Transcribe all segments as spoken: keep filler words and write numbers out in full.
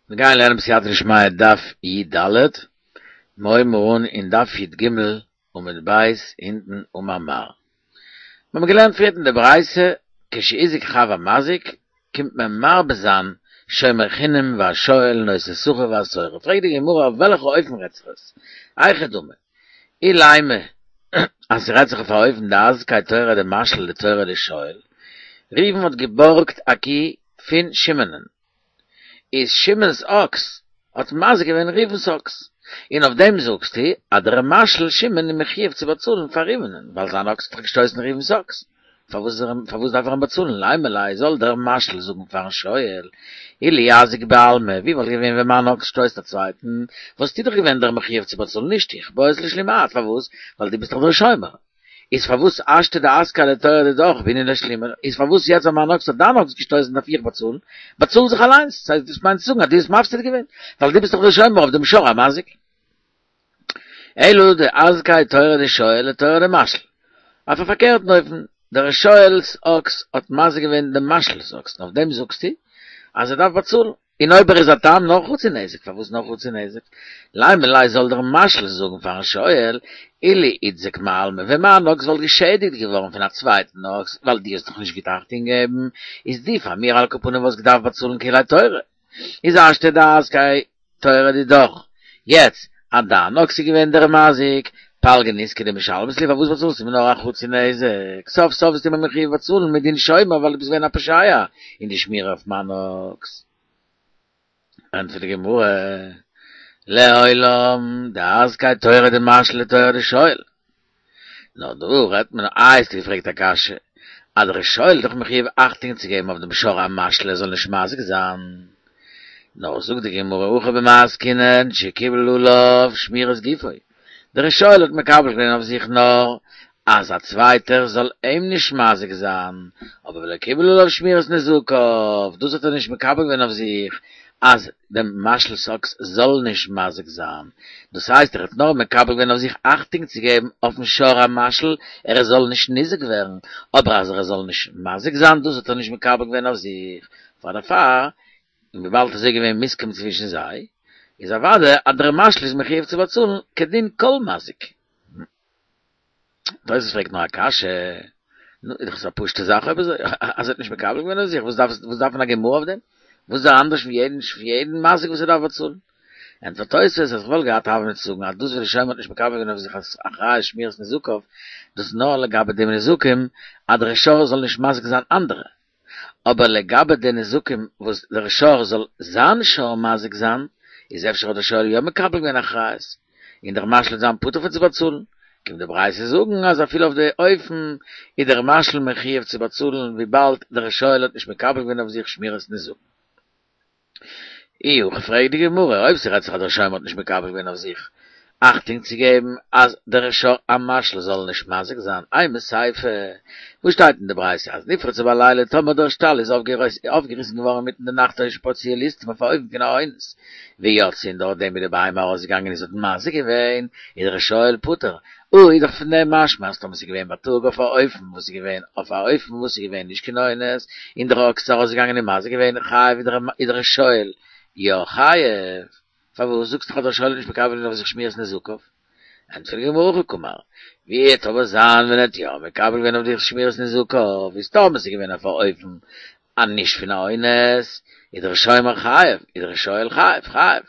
מיר גייען לערנען בסייעתא דשמיא דף י ד, מיר הויבן אן אין דף י ג עמוד ב' אונטן אמר מר. מיר האבן געלערנט פריערט אין די ברייתא, כשהזיק חב המזיק, קומט מען מרבה זיין שומר חינם והשואל נושא שכר והשוכר, פרעגט די גמרא אויף וועלכע אופן רעדט זיך עס? היכי דמי, אילימא אז ס'רעדט זיך אויף א אופן דאזקיה תורא דמשאיל לתורא דשואל, ראובן האט געבארגט א קי פון שמעונ'ען, איז שמעון'ס אקס האט מזיק געווען ראובן'ס אקס, און אויף דעם זאגסטו אז דער משאיל שמעון איז מחויב צו באצאלן פאר ראובן'ען ווייל זיין אקס האט דאך געשטויסן ראובן'ס אקס, פארוואס פארוואס דארף ער אים באצאלן? לימא ליה זאל דער משאיל זאגן פארן שואל, אילו אזיק בעלמא, ווי וואלט געווען ווען מיין אקס שטויסט א צווייטן, וואלסטו דאך געווען דער מחויב צו באצאלן נישט איך, בעית לשלומי את, פארוואס? ווייל דו ביסט דאך דער שומר. איז פארוואס השתא דאזקיה לתורא דידך בעינן לשלומי, איז פארוואס יעצט ווען מיין אקס האט דיין אקס געשטויסן דארף איך באצאלן? באצאל זיך אליינס, ס'הייסט דאס מיינט צו זאגן אז דו האסט מפסיד געווען, ווייל דו ביסט דאך דער שומר אויף דעם שור המזיק. אלא דאזקיה תורא דשואל לתורא דמשאיל. אויף א פארקערטן אופן, דער שואל'ס אקס האט מזיק געווען דעם משאיל'ס אקס, און אויף דעם זאגסטו אז ער דארף באצאלן. און אויב ער איז א תם נאר חצי נזק, פארוואס נאר חצי נזק? לימא ליה זאל דער משאיל זאגן פארן שואל, אילו איתזק מעלמא, ווען מיין אקס וואלט געשעדיגט געווארן פון א צווייטן אקס, ווייל דו האסט דאך נישט גוט אכטונג געגעבן, איז דו פאר מיר על כל פנים וואלסט געדארפט באצאלן כולי תורא. איז השתא דאזקיה תורא דידך. יעצט אז דיין אקס איז געווען דער מזיק, פלגא נזקא דמשלמת לי, פארוואס באצאלסטו מיר נאר א חצי נזק? סוף סוף ביסטו מיר מחויב באצאלן מדין שומר ווייל דו ביסט געווען א פושע אין די שמירה אויף מיין אקס. ענטפערט די גמרא, לעולם דאזקיה תורא דמשאיל לתורא דשואל. נאר דא רעדט מען, איי האסטו געפרעגט א קשיא, אז דער שואל איז דאך מחויב אכטונג צו געבן אויף דעם שור המשאיל ער זאל נישט מזיק זיין. נאר זאגט די גמרא הכא במאי עסקינן שקיבל עליו שמירת גופו, דער שואל האט מקבל געווען אויף זיך נאר אז א צווייטער זאל אים נישט מזיק זיין, אבער ולא קיבל עליו שמירת נזקיו, דאס האט ער נישט מקבל געווען אויף זיך אז דעם משאיל'ס אקס זאל נישט מזיק זיין, דאס הייסט ער האט נאר מקבל געווען אויף זיך אכטונג צו געבן אויפן שור המשאיל ער זאל נישט ניזוק ווערן, אבער אז ער זאל נישט מזיק זיין דאס האט ער נישט מקבל געווען אויף זיך, פאר דערפאר און וויבאלד עס איז געווען מוסכם צווישן זיי, איז אוודאי אז דער משאיל איז מחויב צו באצאלן כדין כל מזיק. תוספות פרעגט נאר א קשיא, נו, איז דאך עס א פשוט'ע זאך אויב אזוי, אז ער האט נישט מקבל געווען אויף זיך, וואס דארף וואס דארף מען א גמרא אויף דעם? וואס איז ער אנדערש פון יעדן פון יעדן מזיק וואס ער דארף באצאלן? ענטפערט תוספות אז כ'וואלט געהאט הוה אמינא צו זאגן אז דאס וואס דער שומר האט נישט מקבל געווען אויף זיך אחריות שמירת נזקיו, דאס נאר לגבי די נזקים אז דער שור זאל נישט מזיק זיין אנדערע, אבער לגבי די נזקים וואס דער שור זאל זיין שור מזיק זיין, איז אפשר האט דער שואל יא מקבל געווען אחריות, און דער משאיל וועט זיין פטור פון צו באצאלן, קומט די ברייתא זאגן אז אפילו אויף די אופן איז דער משאיל מחויב צו באצאלן וויבאלד דער שואל האט נישט מקבל געווען אויף זיך שמירת נזקים. אי הכי פרעגט די גמרא, אויב ס'רעדט זיך אז דער שומר האט נישט מקבל געווען אויף זיך אכטונג צו געבן אז דער שור המשאיל זאל נישט מזיק זיין, אימא סיפא, וואס שטייט אין די ברייתא אז נפרצה בלילה טאמער דער שטאל איז אויפגעריסן געווארן אינמיטן די נאכט או שפרצוה ליסטים אויף א אופן פון א אונס ויצאה און דורך דעם איז די בהמה ארויסגעגאנגען און זי האט מזיק געווען איז דער שואל פטור, אוי איז דאך פון דעם משמע אז טאמער ס'איז געווען בייטאג אויף א אופן וואס איז געווען אויף א אופן וואס איז געווען נישט קיין אונס און דער אקס איז ארויסגעגאנגען און מזיק געווען חייב איז דער שואל יא חייב פארוואס זאגסטו אז דער שואל האט נישט מקבל געווען אויף זיך שמירת נזקיו? ענטפערט די גמרא הכי קאמר, ווי וועט אבער זיין ווען ער האט יא מקבל געווען אויף זיך שמירת נזקיו איז טאמער ס'איז געווען אויף א אופן א נישט פון א אונס, איז דער שומר חייב, איז דער שואל חייב, חייב.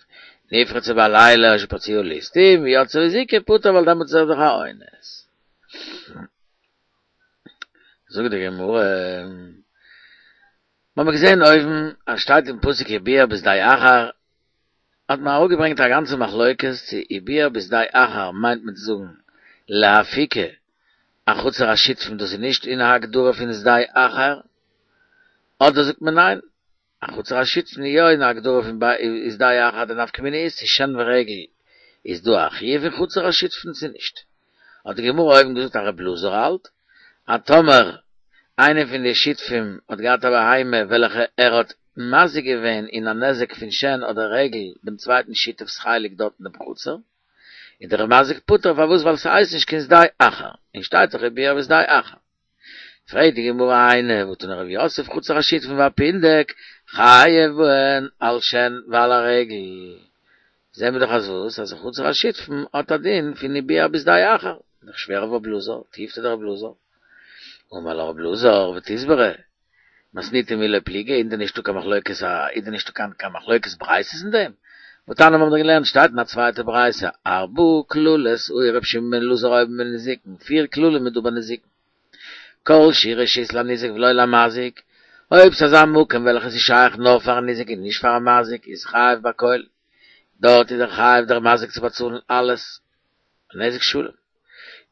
נפרצה בלילה או שפרצוה ליסטים, ויצאה והזיקה פטור ווייל דעמאלטס איז ער דאך א אונס. זאגט די גמרא, מ'האמיר געזען אויבן אז שטייט אין פסוק ובער בשדה אחר, האט מען אראפגעברענגט א גאנצע מחלוקת צו ובער בשדה אחר מיינט מען צו זאגן לאפוקי א חצר השותפים דאס איז נישט אין הגדרה פון שדה אחר, אדער זאגט מען ניין, א חצר השותפים איז יא אין הגדרה פון שדה אחר, די נפקא מינה איז צו שן ורגל איז דא א חיוב אין חצר השותפים צו נישט. האט די גמרא אויבן געזאגט אז רב אלעזר האלט אז טאמער איינער פון די שותפים האט געהאט א בהמה וועלכע ער האט מזיק געווען אין א נזק פון שן אדער רגל דעם צווייטן שותף'ס חלק דארט אין דעם חצר, איז דער מזיק פטור פארוואס ווייל ס'הייסט נישט קיין שדה אחר און שטייט דאך ובער בשדה אחר. פרעגט די גמרא היינו והא תני רב יוסף חצר השותפים והפונדק חייב בהן על שן ועל הרגל. זעהן מיר דאך אז וואס? אז חצר השותפין האט א דין פון הביע בשדה אחר. דאך שווער אויף רב אלעזר, תיובתא דרב אלעזר. אמר לך רב אלעזר ותסברא, מתניתין מי לא פליגי, איז דען נישטא קיין מחלוקת, איז דען נישטא קיין קיין מחלוקת ברייתות אין דעם? והתניא מיר האבן דאך געלערנט שטייט אין א צווייטע ברייתא, ארבעה כללות העיר רבי שמעון בן אלעזר היו בנזיקין, פיר כללים איז דא ביי נזיקין. כל שהוא רשות לניזק ולא למזיק, אויב ס'איז אזא מקום וועלכע איז שייך נאר פארן ניזק און נישט פארן מזיק איז חייב בכל, דארט איז ער חייב דער מזיק צו באצאלן אלעס נזק שלם.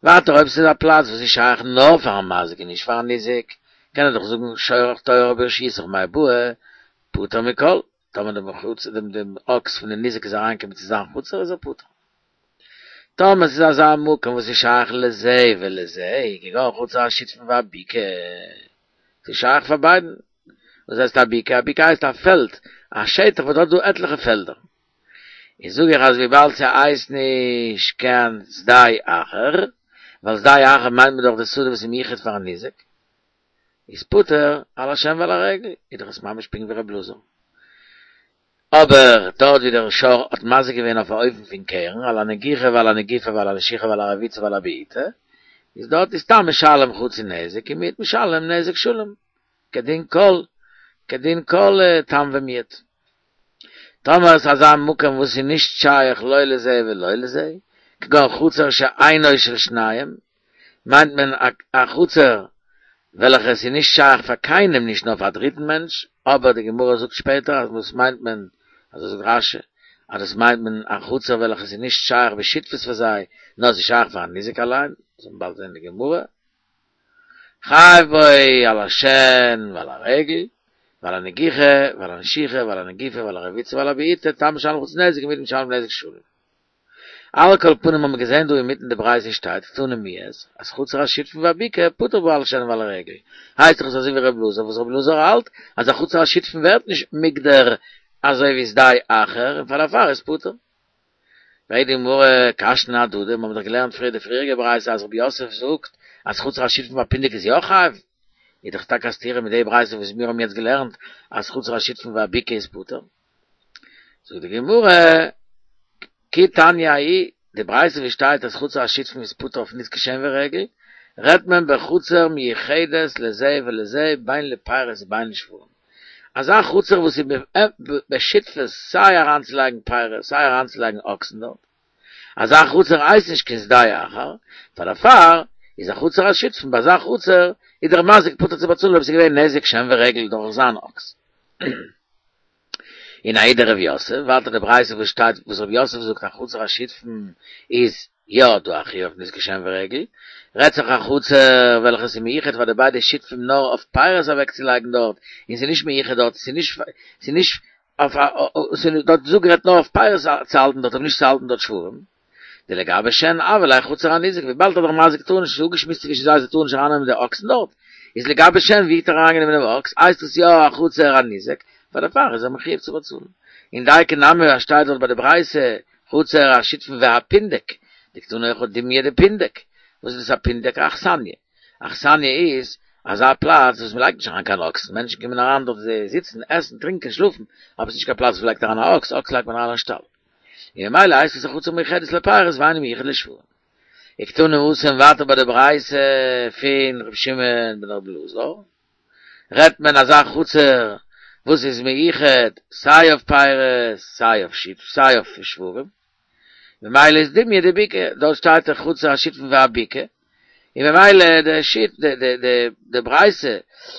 ווייטער אויב ס'איז א פלאץ וואס איז שייך נאר פארן מזיק און נישט פארן ניזק, קען ער דאך זאגן שורך תועה ברשותך מאי בעי, פטור מכל, טאמער דעם חצר דעם דעם אקס פון די ניזק איז אריינגעקומען צו זיין חצר איז ער פטור. טאמער ס'איז אזא מקום וואס איז שייך לזה ולזה, כגון חצר השותפין והבקעה, ס'איז שייך פאר ביידן. וואס הייסט א בקעה? א בקעה הייסט א פעלד, א שטח וואס האט דא עטליכע פעלדער. איז זאג איך אז וויבאלד ס'הייסט נישט קיין שדה אחר, ווייל שדה אחר מיינט מען דאך די שדה וואס איז מיוחד פארן ניזק, איז פטור על השן ועל הרגל, איז דאך עס ממש פונקט ווי רב אלעזר. אבער דארט ווי דער שור האט מזיק געווען אויף א אופן פון קרן, על הנגיחה ועל הנגיפה ועל הנשיכה ועל הרביצה ועל הבעיטה, איז דארט איז תם משלם חצי נזק און מועד משלם נזק שלם, כדין כל כדין כל תם ומועד. טאמער איז אזא מקום וואס איז נישט שייך לא לזה ולא לזה, כגון חצר שאינו של שניהם, מיינט מען א חצר וועלכע עס איז נישט שייך פאר קיינעם נישט נאר פאר א דריטן מענטש, אבער די גמרא זאגט שפעטער אז דאס מיינט מען, אזוי זאגט רש"י, אז דאס מיינט מען א חצר וועלכע עס איז נישט שייך בשותפות פאר זיי, נאר עס איז שייך פארן ניזק אליין, דאס וועט מען באלד זען אין די גמרא. חייב בו על השן ועל הרגל, ועל הנגיחה, ועל הנשיכה, ועל הנגיפה, ועל הרביצה, ועל הבעיטה, תם משלם חצי נזק ומועד משלם נזק שלם. על כל פנים האבן מיר געזען דא אינמיטן די ברייתא שטייט קתני מיהת אז חצר השותפין והבקעה פטור בה על השן ועל הרגל, הייסט דאך עס אזוי ווי ר' אלעזר וואס ר' אלעזר האלט אז א חצר השותפין ווערט נישט מוגדר אזוי ווי שדה אחר און פאר דערפאר איז פטור. פרעגט די גמרא קשתין אהדדי, מיר האבן דאך געלערנט פריער די פריעריגע ברייתא אז רב יוסף זאגט אז חצר השותפין והפונדק איז יא חייב, איז דאך טאקע א סתירה מיט די ברייתא וואס מיר האבן יעצט געלערנט אז חצר השותפין והבקעה איז פטור. זאגט די גמרא, כי תניא ההיא, די ברייתא ווי שטייט אז חצר השותפין איז פטור אויף נזקי שן ורגל, רעדט מען בחצר מיוחדת לזה ולזה בין לפירות ובין לשוורים. אזא חצר וואס איז בשותפות סיי אריינצולייגן פירות סיי אריינצולייגן אקסן דארט, אזא חצר הייסט נישט קיין שדה אחר, פאר דערפאר איז א חצר השותפין, ביי אזא חצר איז דער מזיק פטור צו באצאלן אויב ס'איז געווען נזק שן ורגל דורך זיין אקס. און ההיא דרב יוסף, ווייטער די ברייתא וואס שטייט וואס רב יוסף זאגט א חצר השותפין איז יא דא א חיוב אויף נזקי שן ורגל, רעדט זיך א חצר וועלכע איז מיוחד פאר די ביידע שותפים נאר אויף פירות אוועקצולייגן דארט, און ס'איז נישט מיוחד דארט, ס'איז נישט ס'איז נישט אויף א ס'איז דארט זאג רעדט נאר אויף פירות צו האלטן דארט אבער נישט צו האלטן דארט שוורים. דלגבי שן הוה ליה חצר הניזק וויבאלד דער מזיק טאר נישט, ס'איז אפגעשמועסט צווישן זיי זיי טארן נישט ארייננעמען די אקסן דארט, איז לגבי שן ווי האט ער אריינגענומען דעם אקס, הייסט עס יא א חצר הניזק, פאר דערפאר איז ער מחויב צו באצאלן. און דייקא נמי אז שטייט דארט ביי די ברייתא חצר השותפין והפונדק, דקתני הכא דומיא דפונדק, וואס איז דאס א פונדק? א אכסניא. אכסניא איז אזא פלאץ וואס מ'לייגט נישט אריין קיין אקסן, מענטשן קומען אריין דארט זיי זיצן, עסן, טרינקען, שלאפן, אבער ס'איז נישט קיין פלאץ וואס מ'לייגט אריין א אקס, אקס לייגט מען אריין אין שטאל. און ממילא הייסט עס א חצר מיוחדת לפירות ואינה מיוחדת לשוורים. וקתני התם ווייטער ביי די ברייתא פון ר' שמעון בן ר' אלעזר, רעדט מען אזא חצר וואס איז מיוחד סיי אויף פירות סיי אויף שיף סיי אויף שוורים, ממילא איז דומיא דבקעה, דארט שטייט דאך חצר השותפין והבקעה, און ממילא די שיט די די די די ברייתא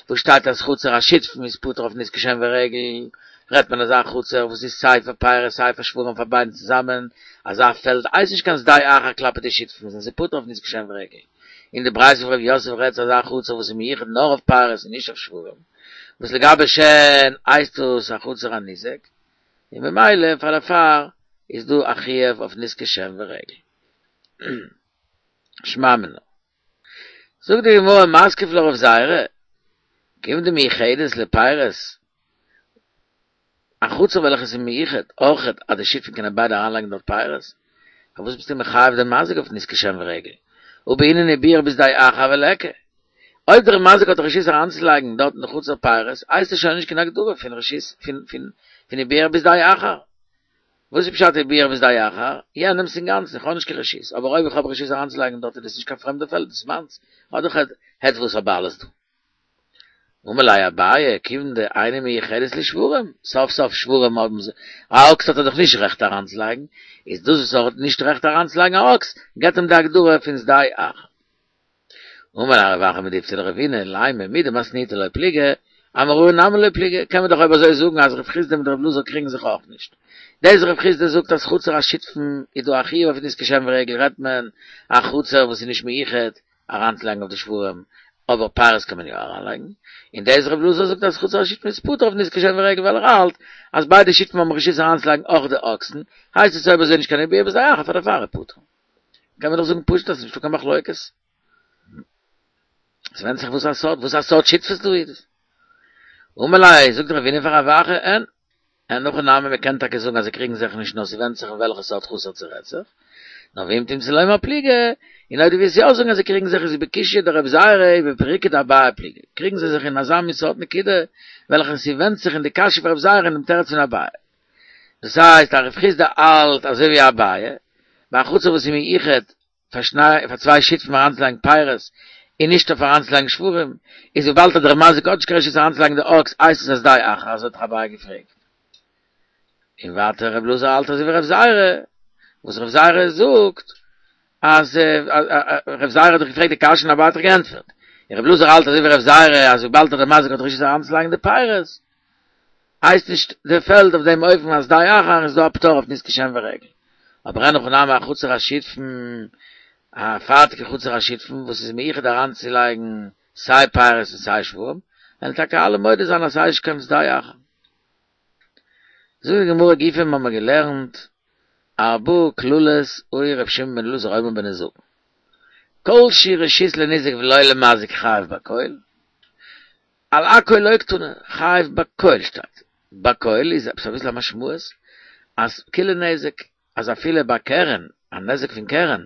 וואס שטייט אז חצר השותפין איז פטור אויף נזקי שן ורגל, רעדט מען אזא חצר וואס איז סיי פאר פירות סיי פאר שוורים פאר ביידן צוזאמען, אזא פעלד הייסט נישט קיין שדה אחר כלפי די שותפין זענען זיי פטור אויף נזקי שן ורגל. און די ברייתא פון ר' יוסף רעדט אזא חצר וואס איז מיוחד נאר אויף פירות און נישט אויף שוורים, וואס לגבי שן הייסט עס א חצר הניזק, און ממילא פאר דערפאר איז דא א חיוב אויף נזקי שן ורגל. שמע מינה. זאגט די גמרא מתקיף לה רב זירא, כיון דמיוחדת לפירות, א חצר וועלכע איז מיוחד אויכעט אז די שותפים קענען ביידע אריינלייגן דארט פירות, פארוואס ביסטו מחייב דעם מזיק אויף נזקי שן ורגל? הא בעינן הביער בשדה אחר וליכא. אויב דער מזיק האט רשות אריינצולייגן דארט אין די חצר פירות, הייסט עס שוין נישט קיין הגדרה פון רשות פון פון פון ובער בשדה אחר. וואס איז פשט ובער בשדה אחר? יענעמס אינגאנצן, איך האב נישט קיין רשות, אבער אויב איך האב רשות אריינצולייגן דארט איז דאס נישט קיין פרעמדע פעלד, דאס איז מיינס, איך האב דאך עטוואס א בעלות דא. אמר ליה אביי, כיוון דאינה מיוחדת לשוורים, סוף סוף שוורים האבן זיי, א אקס האט ער דאך נישט רעכט אריינצולייגן, איז דאס וואס ער האט נישט רעכט אריינצולייגן א אקס, געבט אים די הגדרה פון שדה אחר. אמר ליה רב אחא מדיפתי לרבינא, לימא מדמתניתא לא פליגי, אמוראי נמי לא פליגי, קען מען דאך אויב אזוי זאגן אז רב חסדא מיט רב אלעזר קריגן זיך אויך נישט. דאס רב חסדא זאגט אז חצר השותפין איז דא א חיוב אויף נזקי שן ורגל רעדט מען א חצר וואס איז נישט מיוחד אריינצולייגן אויף די שוורים, אבער פירות קען מען יא אריינלייגן, און דאס רב אלעזר זאגט אז חצר השותפין איז פטור אויף נזקי שן ורגל ווייל ער האלט אז ביידע שותפים האבן רשות אריינצולייגן אויך די אקסן, הייסט עס אויב אזוי נישט קיין ובער בשדה אחר פאר דערפאר איז פטור. קען מען דאך זאגן פשוט אז ס'איז נישטא קיין מחלוקת. עס ווענדט זיך וואס א סארט וואס א סארט שותפות דא איז. אמר ליה, זאגט רבינא פאר רב אחא, אין, אין הכי נמי מען קען טאקע זאגן אז זיי קריגן זיך נישט נאר ס'ווענדט זיך אין וועלכע סארט חצר ס'רעדט זיך, נאר ואם תמצא לומר פליגי, און אויב דו ווילסט יא זאגן אז זיי קריגן זיך איז בקושיא דרבי זירא ובפירוקא דאביי פליגי, קריגן זיי זיך אין אזא מין סארט נקודה וועלכע ס'ווענדט זיך אין די קשיא פון רבי זירא און דעם תירוץ פון אביי. דאס הייסט אז רב חסדא האלט אזוי ווי אביי, ביי א חצר וואס איז מיוחד פאר שני פאר צוויי שותפים אריינצולייגן פירות און נישט אויף אריינצולייגן שוורים, איז וויבאלד אז דער מזיק האט נישט קיין רשות אריינצולייגן די אקס הייסט עס א שדה אחר אזוי האט דאך אביי געפרעגט. און ווייטער רב אלעזר האלט אזוי ווי רב זירא, וואס רב זירא זאגט אז רב זירא האט דאך געפרעגט די קשיא און אביי האט דאך געענטפערט, און רב אלעזר האלט אזוי ווי רב זירא אז וויבאלד אז דער מזיק האט רשות אריינצולייגן די פירות הייסט נישט די פעלד אויף דעם אופן א שדה אחר איז דא א פטור אויף נזקי שן ורגל. אבער אין הכי נמי א חצר השותפין, א פארטיגע חצר השותפין וואס איז מיוחד אריינצולייגן סיי פירות און סיי שוורים, וועלן טאקע אלע מודה זיין אז ס'הייסט נישט קיין שדה אחר. זאגט די גמרא גופא האבן מיר געלערנט ארבעה כללות היה ר' שמעון בן אלעזר אומר בנזקין כל שהוא רשות לניזק ולא למזיק חייב בכל, על הכל לא קתני, חייב בכל שטייט, בכל איז עפעס אביסל א משמעות אז כוליה נזק, אז אפילו ביי קרן, א נזק פון קרן,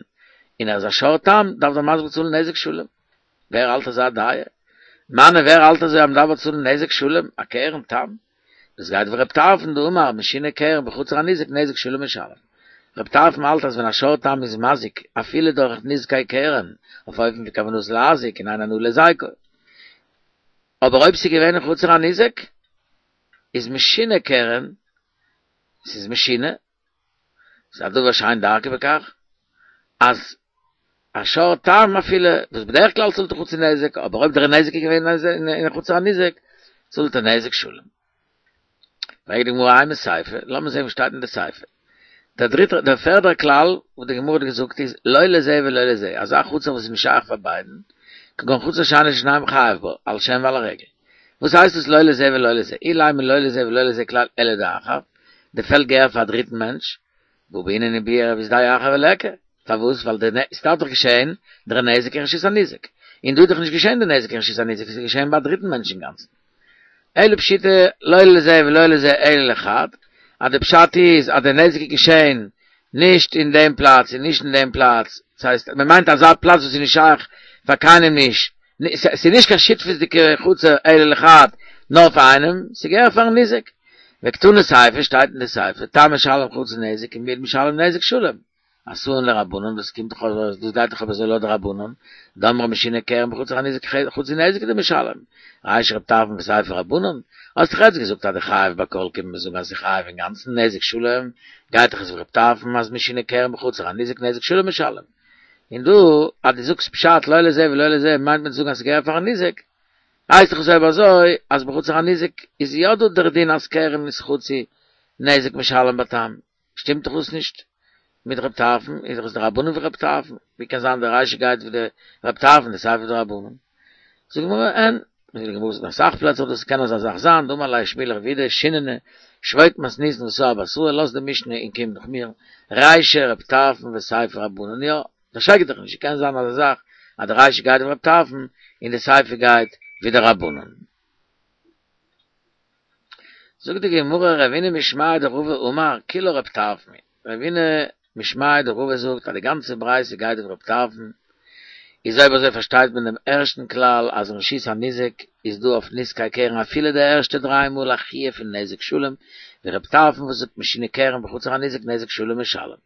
און ער איז א שור תם, דארף דער מזיק באצאלן נזק שלם. ווער האלט אזא דעה? מני ווער האלט אזוי אז מ'דארף באצאלן נזק שלם, א קרן תם? דאס גייט ווי רב טרפון דאמר משונה קרן בחצר הניזק נזק שלם משלם. רב טרפון האלט אז ווען א שור תם איז מזיק אפילו דורך נזקי קרן אויף אופן פון כוונתו להזיק און אין הנאה להזיקו, אבער אויב ס'איז געווען אין חצר הניזק איז משונה קרן, ס'איז משונה, ס'איז א דבר שאין דרכו בכך, אז א שור תם אפילו, וואס בדרך כלל צאלט ער חצי נזק, אבער אויב דער נזק איז געווען אין חצר הניזק, צאלט ער נזק שלם. פרעגט די גמרא אימא סיפא, לאמיר זען וואס שטייט אין די סיפא. דער דריטער, דער פערדער כלל וואס די גמרא האט געזאגט איז, לא לזה ולא לזה, אזא חצר וואס איז נישט שייך פאר ביידן, כגון חצר שאינה של שניהם חייב בה, על שן ועל הרגל. וואס הייסט עס לא לזה ולא לזה? אילימא לא לזה ולא לזה כלל אלא לאחר, די פעלד געהער פאר א דריטן מענטש, והא בעינן ובער בשדה אחר וליכא, פארוואס? ווייל די נ ס'דארף דאך געשעהן דער נזק אין רשות הניזק, און דא איז דאך נישט געשעהן די נזק אין רשות הניזק, ס'איז געשעהן ביי א דריטן מענטש אינגאנצן. אלא פשיטא לא לזה ולא לזה אלא לחד, אז די פשט איז אז די נזק איז געשעהן נישט אין דעם פלאץ און נישט אין דעם פלאץ, ס'הייסט מ'מיינט אזא פלאץ וואס איז נישט שייך פאר קיינעם נישט, ס'איז נישט קיין שותפות'דיגע חצר אלא לחד, נאר פאר איינעם, ס'געהער פארן ניזק. וקתני סיפא שטייט אין די סיפא, תם משלם חצי נזק און מועד משלם נזק שלם. אתאן לרבנן, דאס קומט דאך אויס, דאס גייט דאך אבער אזוי לויט די רבנן, דאמרי משונה קרן בחצר הניזק חצי נזק הוא דמשלם. רישא רב טרפון וסיפא רבנן, האסט דאך יעצט געזאגט אז די חייב בכל קומט מען זאגן אז ס'איז חייב אינגאנצן נזק שלם, גייט דאך עס ווי רב טרפון אז משונה קרן בחצר הניזק נזק שלם משלם. און דא אז דו זאגסט פשט לא לזה ולא לזה מיינט מען צו זאגן אז ס'געהער פארן ניזק, הייסט דאך עס אויב אזוי אז בחצר הניזק איז יא דא דער דין אז קרן איז חצי נזק משלם בתם, שטימט דאך דאס נישט מיט רב טרפון, איז דאך עס די רבנן ווי רב טרפון, ווי קען זיין די רישא גייט ווי די רב טרפון די סיפא ווי די רבנן? זאגט די גמרא אין, זאגט די גמרא ס'דא אסאך פלעצער וואס דאס קען אזא זאך זיין, דאמר ליה שמואל לרב יהודה שיננא שבוק מתניתין וסר בתראי, לאז די משנה און קום נאך מיר, רישא רב טרפון וסיפא רבנן, יא, דערשרעק דיך נישט, ס'קען זיין אזא זאך אז די רישא גייט ווי רב טרפון און די סיפא גייט ווי די רבנן. זאגט די גמרא רבינא משמיה דרבא אמר כולה רב טרפון היא, רבינא משמיה דרבא זאגט אז די גאנצע ברייתא גייט ווי רב טרפון, איז אויב אזוי פארשטייט מען דעם ערשטן כלל אז רשות הניזק איז דא אויף נזקי קרן אפילו די ערשטע דריי מאל א חיוב פון נזק שלם, ווי רב טרפון וואס זאגט משונה קרן בחצר הניזק נזק שלם משלם.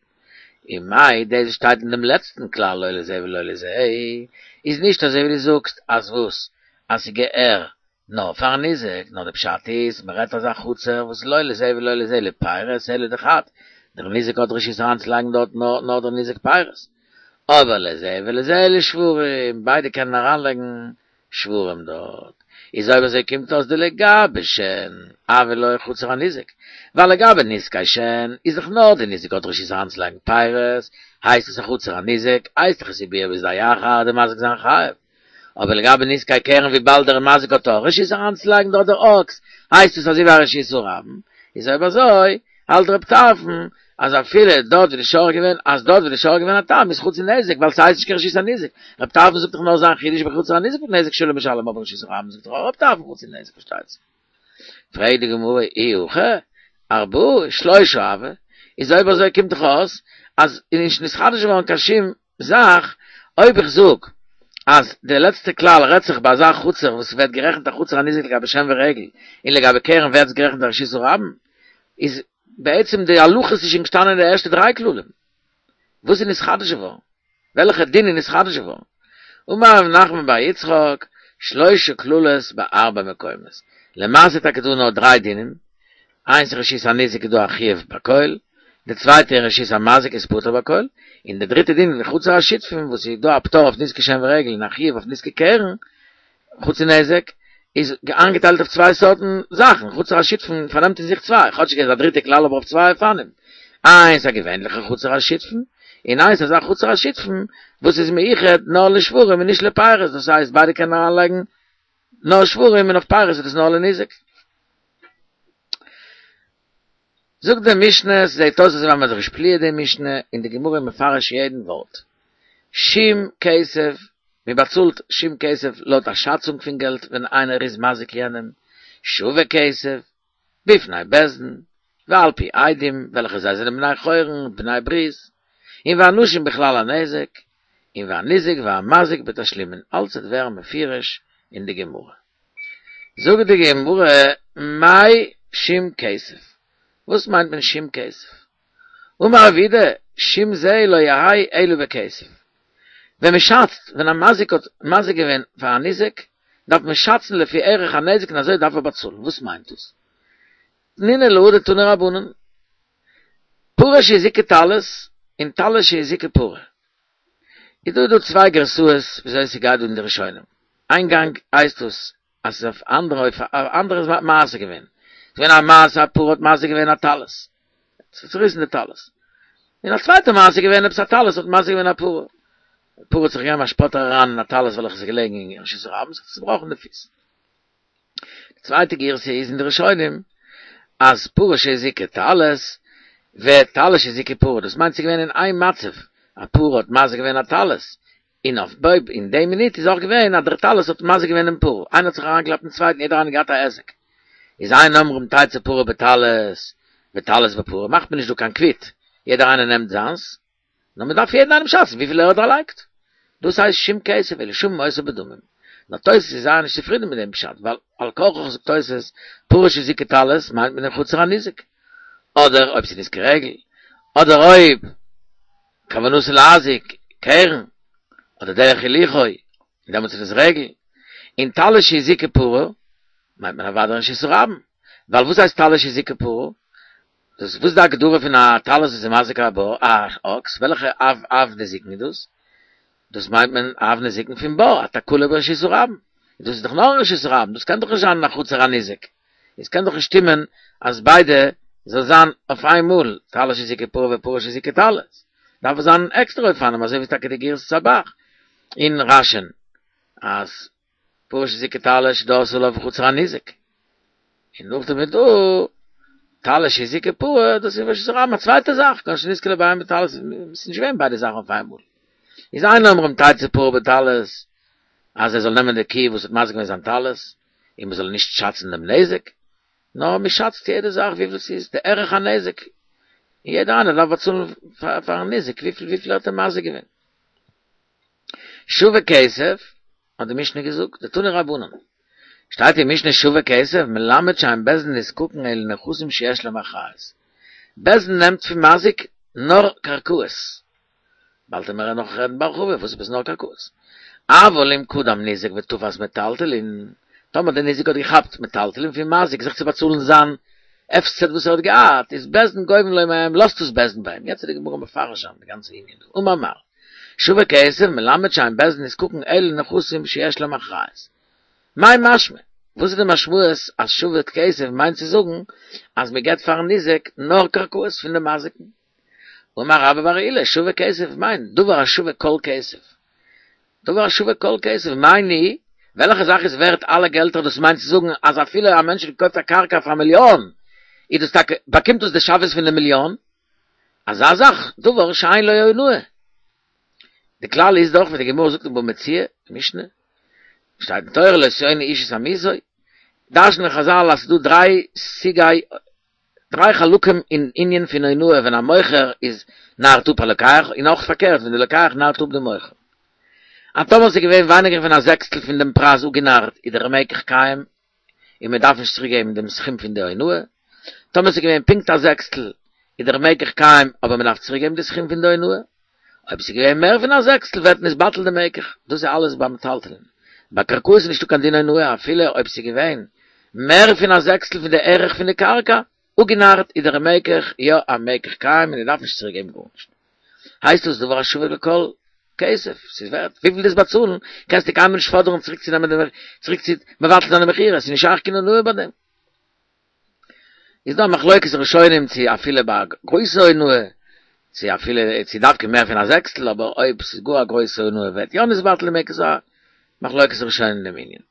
און מאי דאס שטייט אין דעם לעצטן כלל לא לזה ולא לזה איז נישט אזוי ווי דו זאגסט אז וואס אז ס'געהער נאר פארן ניזק, נאר די פשט איז מ'רעדט אזא חצר וואס לא לזה ולא לזה לפירות אלא דחד, דער ניזק האט רשות אריינצולייגן דארט נאר נאר דער ניזק פירות. אבער לזה ולזה לשוורים, ביידע קענען אריינלייגן שוורים דארט. איז אויב אזוי קומט אויס דלגבי שן, הוה לו חצר הניזק. ווייל לגבי נזקי שן, איז דאך נאר די ניזק האט רשות אריינצולייגן פירות, הייסט עס א חצר הניזק, הייסט דאך עס איז ביער בשדה אחר, דער מזיק זיין חייב. אבער לגבי נזקי קרן וויבאלד דער מזיק האט אויך רשות אריינצולייגן דארט דער אקס, הייסט עס אזוי ווי א רשות הרבים. איז אויב אזוי, האלט רב טרפון, אז אפילו דארט ווי די שור געווען, אז דארט ווי די שור געווען א תם איז חצי נזק, ווייל ס'הייסט נישט קיין רשות הניזק. רב טרפון זאגט דאך נאר זיין חידוש בחצר הניזק מיט נזק שלם משלם, אבער רשות הרבים זאגט דאך אויך רב טרפון חצי נזק, פארשטייט זיך. פרעגט די גמרא, אי הכי, ארבעה, שלושה הוו, איז אויב אזוי קומט דאך אויס אז איז נישט נתחדש געווארן קיין שום זאך, אויב איך זאג אז די לעצטע כלל רעדט זיך ביי אזא חצר וואס ווערט גערעכנט א חצר הניזק לגבי שן ורגל, און לגבי קרן ווערט עס גערעכנט א רשות הרבים, איז בעצם די הלכות איז שוין געשטאנען אין די ערשטע דריי כללים. וואס איז נתחדש געווארן? וועלכע דין איז נתחדש געווארן? אמר רב נחמן בר יצחק, שלושה כללות בארבע מקומות. למעשה איז טאקע דא נאר דריי דינים, איינס אין רשות הניזק איז דא א חיוב בכל, די צווייטע אין רשות המזיק איז פטור בכל, און די דריטע דין אין חצר השותפים וואס איז דא א פטור אויף נזקי שן ורגל און א חיוב אויף נזקי קרן, חצי נזק, איז איינגעטיילט אויף צוויי סארטן זאכן, חצר השותפים פארנעמט אין זיך צוויי, כאטשיג עס איז א דריטע כלל אבער אויף צוויי אופנים, איינס א געווענליכע חצר השותפים, און איינס אזא חצר השותפים וואס איז מיוחד נאר לשוורים און נישט לפירות, דאס הייסט ביידע קענען אריינלייגן נאר שוורים און אויף פירות איז דאס נאר לניזק. זאגט די משנה, ס'זעט אויס אזוי ווי מ'האט זיך געשפליעט די משנה, און די גמרא איז מפרש יעדן ווארט. שום כסף, מען באצאלט שום כסף לויט א שאצונג פון געלט ווען איינער איז מזיק יענעם, שווה כסף, בפני בית דין, ועל פי עדים וועלכע זיי זענען בני חורין, בני ברית, און ואנשים בכלל הנזק, און והניזק והמזיק בתשלומין, אלץ וועט ווערן מפורש אין די גמרא. זאגט די גמרא, מאי שום כסף? וואס מיינט מען שום כסף? אמר רב יהודה, שום זה לא יהא אלא בכסף. ווען מען שאצט, ווען א מזיק האט מזיק געווען פאר א ניזק, דארף מען שאצן לפי ערך הנזק און אזוי דארף ער באצאלן. וואס מיינט דאס? תנינא להא דתנו רבנן, פרה שהזיקה טלית און טלית שהזיקה פרה. איז דא דא צוויי גרסאות וויאזוי ס'גייט דא אין די ראשונים. איין גאנג הייסט דאס אז ס'איז אויף אנדערע אויף א אנדערע מעשה געווען. ס'איז געווען א מעשה א פרה האט מזיק געווען א טלית. ס'האט צוריסן די טלית. און א צווייטע מעשה איז געווען עפעס א טלית האט מזיק געווען א פרה. די פרה האט זיך געגעבן א שפאטער אריין אין א טלית וועלכע איז געלעגן אין רשות הרבים, זיך צובראכן די פיס. די צווייטע גירסא איז אין די ראשונים אז פרה שהזיקה טלית וטלית שהזיקה פרה, דאס מיינט ס'איז געווען אין איין מצב, א פרה האט מזיק געווען א טלית, און אויף בו אין די מינוט איז אויך געווען אז דער טלית האט מזיק געווען דעם פרה, איינער האט זיך אריינגעקלאפט אין צווייטן יעדער איינער האט געהאט א היזק, איז אין אומרים תצא פרה בטלית וטלית בפרה, מאכט מען נישט דא קיין קוויט, יעדער איינער נעמט זיינס, נאר מען דארף יעדן איינעם שאצן וויפיל ער האט דערלייגט. דאס הייסט שום כסף אלא שמין אותו בדמים. נאר תוס' איז זייער נישט צופרידן מיט דעם פשט, ווייל על כרחך זאגט תוס', פרה שהזיקה טלית מיינט מען דעם חצר הניזק. אדער אויב ס'איז נזקי רגל, אדער אויב כוונתו להזיק, קרן, אדער דרך הילוכו, און דעמאלטס איז עס רגל. און טלית שהזיקה פרה, מיינט מען אוודאי רשות הרבים. ווייל וואס הייסט טלית שהזיקה פרה? דאס וואס איז די הגדרה פון א טלית וואס איז מזיק א בור א אקס וועלכע אב אב נזיקין איז דאס? דאס מיינט מען אב נזיקין פון בור א תקלה ברשות הרבים דאס איז דאך נאר אין רשות הרבים דאס קען דאך נישט זיין אין א חצר הניזק עס קען דאך נישט שטימען אז ביידע זאל זיין אויף איין מאל טלית שהזיקה פרה ופרה שהזיקה טלית דארף עס זיין עקסטערע אופנים אזוי ווי טאקע די גירסת הב"ח אין רש"י'ן אז פרה שהזיקה טלית שדרסה עליו בחצר הניזק. און נאכדעם איז דא טלית שהזיקה פרה, דאס איז רשות הרבים א צווייטע זאך, כגון שנתקלה בהמה בטלית, עס איז נישט געווען ביידע זאכן אויף איינמאל. איז אין אומרים תצא פרה בטלית, אז ער זאל נעמען די קי וואס האט מזיק געווען זיין טלית, און מען זאל נישט שאצן דעם נזק, נאר מען שאצט יעדע זאך וויפיל ס'איז די ערך הנזק, און יעדער איינער דארף באצאלן פארן ניזק וויפיל וויפיל ער האט אים מזיק געווען. שווה כסף, האט די משנה געזאגט, דתנו רבנן. שטייט אין משנה שווה כסף, מלמד שאין בית דין נזקקין אלא לנכסים שיש להם אחריות. בית דין נעמט פון מזיק נאר קרקעות. באלד וועלן מיר נאך רעדן בהרחבה וואס איז נאר קרקעות. אבל אם קדם ניזק ותפס מטלטלין, טאמער דער ניזק האט געכאפט מטלטלין פון מזיק זיך צו באצאלן זיין הפסד וואס ער האט געהאט, איז בית דין גובין לו מהם, לאזט עס בית דין ביי אים. יעצט איז די גמרא מפרש שם די גאנצע ענין דא. אמר מר. שווה כסף מלמד שאין בית דין נזקקין אלא לנכסים שיש להם אחריות. מאי משמע? וואס איז די משמעות אז שווה כסף מיינט צו זאגן אז מען געבט פארן ניזק נאר קרקעות פון די מזיקן? אמר רבה בר עולא, שווה כסף מיינט דבר השווה כל כסף. דבר השווה כל כסף, מאי ניהו, וועלכע זאך איז ווערט אלע געלטער, דאס מיינט צו זאגן אז אפילו א מענטש האט געקויפט א קרקע פאר א מיליאן, איז דאס טאקע, באקומט דאס די שוויות פון די מיליאן? אזא זאך, דבר שאין לו אונאה. די כלל איז דאך ווי די גמרא זאגט אין בבא מציעא, משנה, שטייט אין תורה לא תאונו איש את עמיתו, דרש'נען חזל אז ס'איז דא דריי סוגי, דריי חלקים אין ענין פון אונאה ווען א מוכר איז נארט אפ א לוקח, און אויך פארקערט ווען די לוקח נארט אפ די מוכר. אז טאמער ס'איז געווען ווייניגער פון א זעקסטל פון דעם פרייז אפגענארט איז דער מקח קיים און מען דארף נישט צוריק געבן דעם סכום פון די אונאה, טאמער ס'איז געווען פונקט א זעקסטל איז דער מקח קיים אבער מען דארף צוריק געבן די סכום פון די אונאה, אויב ס'איז געווען מער פון א זעקסטל ווערט נתבטל די מקח, דאס איז אלעס ביי מטלטלין. ביי קרקעות איז נישטא קיין דין אונאה אפילו אויב ס'איז געווען מער פון א זעקסטל פון די ערך פון די קרקע, אפגענארט איז דער מקח יא א מקח קיים און ער דארף נישט צוריק געבן גארנישט. הייסט דאס דבר השווה לכל כסף, ס'איז ווערט וויפיל דו'סט באצאלן, קענסטו קיינמאל נישט פאדערן צוריק צו נעמען די צוריק צו מבטל זיין די מכירה, ס'איז נישט שייך קיין אונאה ביי דעם. איז דא א מחלוקת ראשונים צו אפילו ביי א גרויסע אונאה, צו אפילו צו דווקא מער פון א זעקסטל, אבער אויב ס'איז גאר א גרויסע אונאה ווערט יא נתבטל די מקח, ס'איז א מחלוקת ראשונים אין דעם ענין.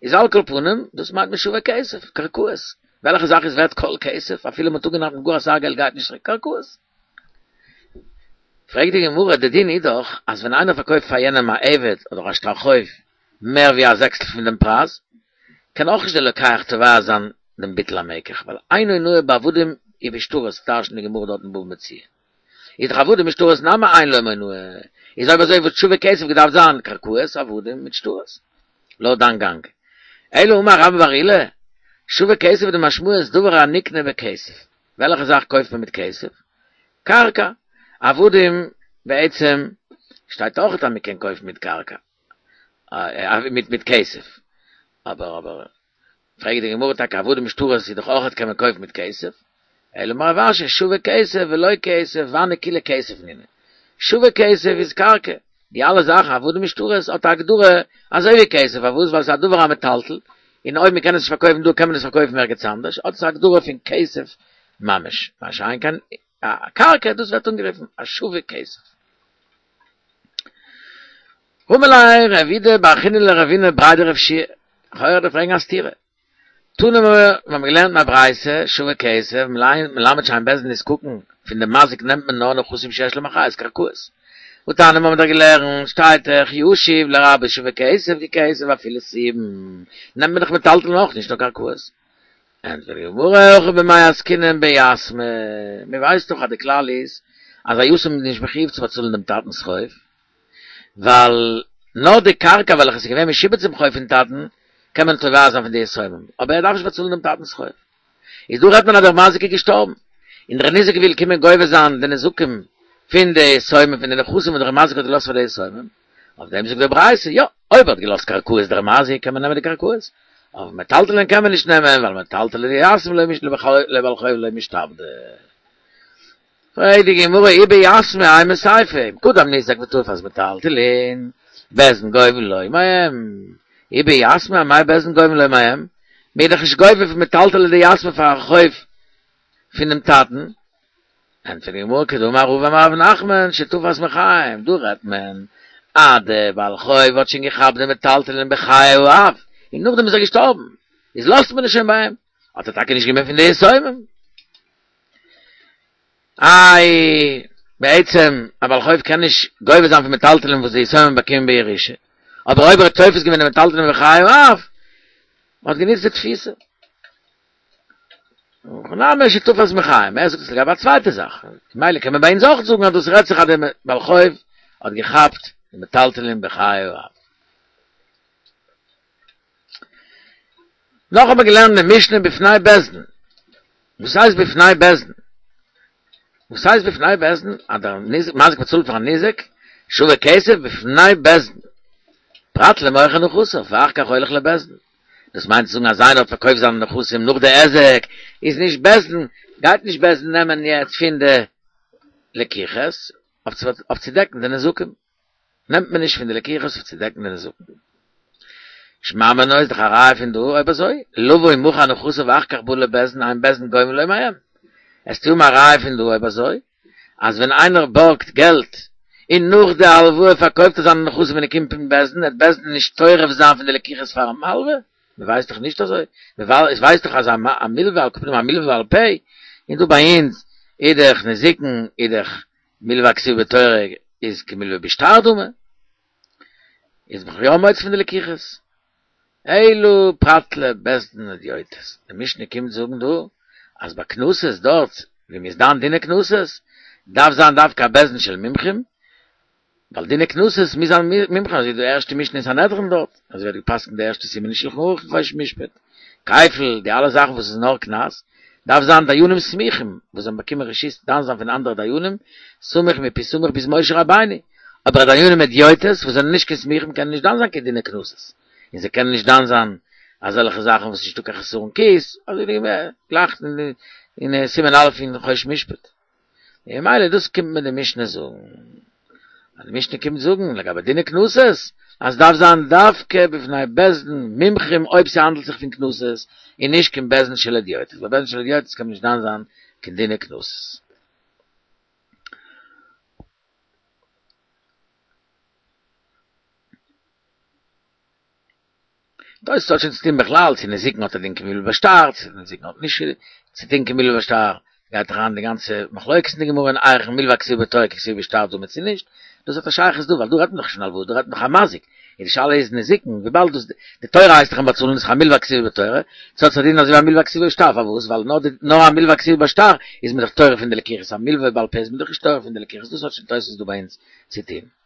איז על כל פנים, דאס מיינט מען שווה כסף, קרקעות. וועלכע זאך איז ווערט כל כסף, אפילו מ'האט אפגענארט מיט גאר אסאך געלט גייט נישט צוריק, קרקעות. פרעגט די גמרא, די דין איז דאך אז ווען איינער פארקויפט פאר יענעם א עבד אדער א שטר חוב מער ווי א זעקסטל פון דעם פרייז, קען אויך נישט דער לוקח תובע זיין דעם ביטול המקח, ווייל אין אונאה בעבדים ובשטרות, דרש'נט די גמרא דארט אין בבא מציעא. איז דאך עבדים ושטרות נמי אין להם אונאה, איז אויב אזוי וואלט שווה כסף געדארפט זיין קרקעות, עבדים מיט שטרות. לויט דיין גאנג. אלא אמר רבה בר עולא, שווה כסף די משמעות דבר הנקנה בכסף. וועלכע זאך קויפט מען מיט כסף? קרקע. עבדים בעצם שטייט אויך אז מען קען קויפן מיט קרקע. מיט מיט כסף. אבער אבער פרעגט די גמרא טאקע עבדים ושטרות איז דאך אויך קען מען קויפן מיט כסף. אלא אמר רב אשי שווה כסף ולא כסף והני כולהו כסף נינהו. שווה כסף איז קרקע. די אלע זאכן עבדים ושטרות האט א הגדרה אזוי ווי כסף פארוואס ווייל ס'איז א דבר המטלטל און אויב מ'קען עס נישט פארקויפן דא קען מען עס פארקויפן ערגעץ אנדערש האט עס א הגדרה פון כסף ממש מה שאין כן א קרקע דאס ווערט אנגערופן א שווה כסף. אמר ליה רב אידי בר חיננא לרבינא בריה דרב יהושע לכאורה דארף פרעגן א סתירה. תנא מיר האבן געלערנט אין א ברייתא, שווה כסף, מלמד שאין בית דין נזקקין, פון די מזיק נעמט מען נאר נכסים שיש להם אחריות, קרקעות. והתניא מיר האבן דאך געלערנט, שטייט דאך, ישיב לרבות שווה כסף ככסף אפילו סובין, נעמט מען דאך מטלטלין אויך נישט נאר קרקעות. ענטפערט די גמרא, הכא במאי עסקינן ביתמי, מען ווייסט דאך אז די כלל איז אז א יתום איז נישט מחויב צו באצאלן דעם טאטנ'ס חוב, ווייל נאר די קרקע וועלכע איז געווען משועבד צום חוב פון טאטן קען מען תובע זיין פון די יתומים, אבער ער דארף נישט באצאלן דעם טאטנ'ס חוב. איז דא רעדט מען אז דער מזיק איז געשטארבן, און דער ניזק וויל קומען גובה זיין די נזקים פון די יתומים פון די נכסים וואס דער מזיק האט געלאזט פאר די יתומים, אויף דעם זאגט די ברייתא, יא, אויב ער האט געלאזט קרקעות דער מזיק קען מען נעמען די קרקעות, אבער מטלטלין קען מען נישט נעמען, ווייל מטלטלי דיתמי לבעל חוב לא משתעבדי. פרעגט די גמרא אי ביתמי אימא סיפא, אם קדם ניזק ותפס מטלטלין, בית דין גובין לו מהם, אי ביתמי אמאי בית דין גובין לו מהם, מ'איז דאך נישט גובה פון מטלטלי דיתמי פאר א חוב פונעם טאטן, ענטפערט די גמרא כדאמר רבא אמר רב נחמן שתפס מחיים, דא רעדט מען אז דער בעל חוב האט שוין געכאפט די מטלטלין בחיי האב, און נאכדעם איז ער געשטארבן, איז לאזט מען עס שוין ביי אים, האט ער טאקע נישט גענומען פון די יתומים. איי, בעצם א בעל חוב קען נישט גובה זיין פון מטלטלין וואס די יתומים באקומען בירושה, אבער אויב ער האט תופס געווען די מטלטלין בחיי האב, מען האט גענוצט די תפיסה. הכא נמי שתפס מחיים, ער זאגט עס לגבי א צווייטע זאך, ממילא קען מען ביי אונז אויך זאגן אז דאס רעדט זיך אז דער בעל חוב האט געכאפט די מטלטלין בחיי האב. נאך האבן מיר געלערנט אין משנה בפני בית דין. וואס הייסט בפני בית דין? וואס הייסט בפני בית דין? אז דער ניזק מזיק באצאלט פארן ניזק שווה כסף בפני בית דין. פרט למוכר נכסיו ואחר כך הולך לבית דין. דאס מיינט צו זאגן אז איינער האט פארקויפט זיינע נכסים נאך די היזק, איז נישט בית דין, גייט נישט בית דין נעמען יעצט פון די לקיחות אויף צו דעקן די נזקים. נעמט מען נישט פון די לקיחות אויף צו דעקן די נזקים. שמע מינה איז דאך א ראיה פון דא, אויב אזוי, לבא ומכר נכסיו ואחר כך בא לבית דין אין בית דין גובין לו מהם. וועסטו האבן א ראיה פון דא אויב אזוי, אז ווען איינער בארגט געלט און נאך די הלוואה פארקויפט ער זיינע נכסים ווען ער קומט אין בית דין, וועט בית דין נישט טורף זיין פון די לקיחות פארן מלווה? מען ווייסט דאך נישט אזוי, מען ווייסט דאך אז א מלווה על כל פנים א מלווה בעל פה, און דא ביי אונז איז דאך נזיקין איז דאך מלווה הכתובה בתורה איז כמלווה בשטר דמי, איז מען יא מוציא פון די לקיחות. אלא פרט לבית דין הדיוטות, די משנה קומט זאגן דא אז ביי קנסות דארט ווי מ'איז דן דיני קנסות דארף זיין דווקא א בית דין של מומחים, ווייל דיני קנסות מוז זיין מומחים אזוי ווי די ערשטע משנה אין סנהדרין דארט, אזוי ווערט געפסקנט די ערשטע סימן אין שלחן ערוך אין חושן משפט, כפל, די אלע זאכן וואס איז נאר קנס, דארף זיין דיינים סמוכים וואס זאלן באקומען רשות דן זיין פון אנדערע דיינים, סמוך מפי סמוך ביז משה רבינו, אבער דיינים הדיוטות וואס זענען נישט קיין סמוכים קענען נישט דן זיין קיין דיני קנסות, און זיי קענען נישט דן זיין אזעלכע זאכן וואס נישטא קיין חסרון כיס, אזוי ווי גלייך אין סימן א' אין חושן משפט. און ממילא דאס קומט מיר די משנה זאגן, אז די משנה קומט זאגן לגבי דיני קנסות, אז ס'דארף זיין דווקא בפני בית דין מומחים אויב ס'האנדלט זיך פון קנסות, און נישט קיין בית דין של הדיוטות, ביי בית דין של הדיוטות קען מען נישט דן זיין קיין דיני קנסות. דאס האט שוין צוטון בכלל צו נזיקין האט א דין כמלווה בשטר, צו נזיקין האט נישט צו טון כמלווה בשטר, גייט אריין די גאנצע מחלוקת אין די גמרא אין ערכין מלווה הכתובה בתורה ככתובה בשטר דמי צו נישט, דאס האט א שייכות דא ווייל דא רעדט מען דאך נישט פון הלוואה דא רעדט מען דאך א מזיק, און די שאלה איז נזיקין וויבאלד דאס די תורה הייסט דאך אים באצאלן איז דאך א מלווה הכתובה בתורה, צו האט עס א דין אזוי ווי א מלווה הכתובה בשטר פארוואס ווייל נאר די נאר א מלווה הכתובה בשטר איז מען דאך טורף פון די לקיחות א מלווה בעל פה איז מען דאך נישט טורף פון די לקיחות דאס האט שוין תוס' דא ביי אונז צו טון.